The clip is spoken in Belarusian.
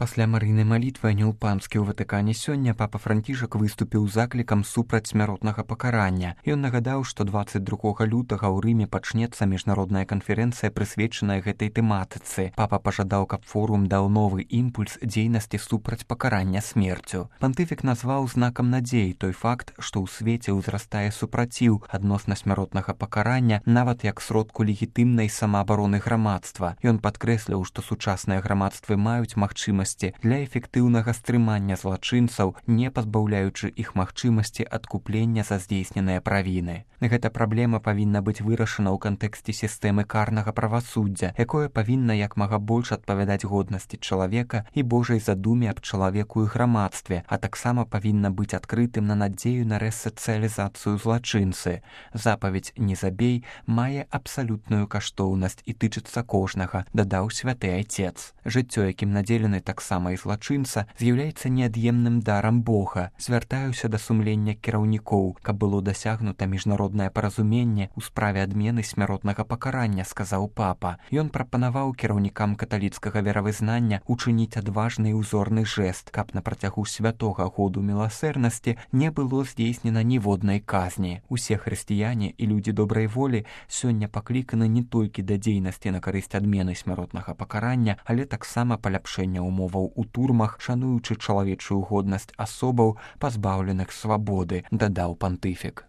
Пасля марыйнай малітвы анёл панскі ў Ватыкане сёння папа Францішак выступіў заклікам супраць смяротнага пакарання. Ён нагадаў, што 22 лютага ў Рыме пачнецца міжнародная канферэнцыя, прысвечаная гэтай тэматыцы. Папа пажадаў, каб форум даў новы імпульс дзейнасці супраць пакарання смерцю. Пантыфік назваў знакам надзеі той факт, што ў свеце ўзрастае супраціў адносна смяротнага пакарання, нават як сродку легітымнай самаабароны грамадства. Ён падкрэсліў, што сучасныя грамадствы маюць магчымасці для эфектыўнага стрымання злачынцаў, не пазбаўляючы іх магчымасці адкуплення за здзейсненыя правіны. Гэта праблема павінна быць вырашана ў кантэксце сістэмы карнага правасуддзя, якое павінна як мага больш адпавядаць годнасці чалавека і Божай задуме аб чалавеку і грамадстве, а таксама павінна быць адкрытым на надзею на рэсацыялізацыю злачынцы. Запаведь «Не забей» мае абсалютную каштоўнасць і тычыцца кожнага, дадаў святы айцец. Жыццё, якім надзелены таксама і злачынца, з'яўляецца неад'емным дарам Бога. Звяртаюся да сумлення кіраўнікоў, каб было дасягнута міжнароднае паразуменне ў справе адмены смяротнага пакарання, сказаў папа. Ён прапанаваў кіраўнікам каталіцкага веравызнання учыніць адважны і ўзорны жэст, каб на працягу святога году міласэрнасці не было здзейснена ніводнай казні. Усе хрысціяне і людзі добрай волі сёння пакліканы не толькі да дзейнасці на карысць адмены смяротнага пакарання, але таксама паляпшэння умоваў у турмах, шануючы чалавечую годнасць асобаў, пазбаўленых свабоды, дадаў пантыфік.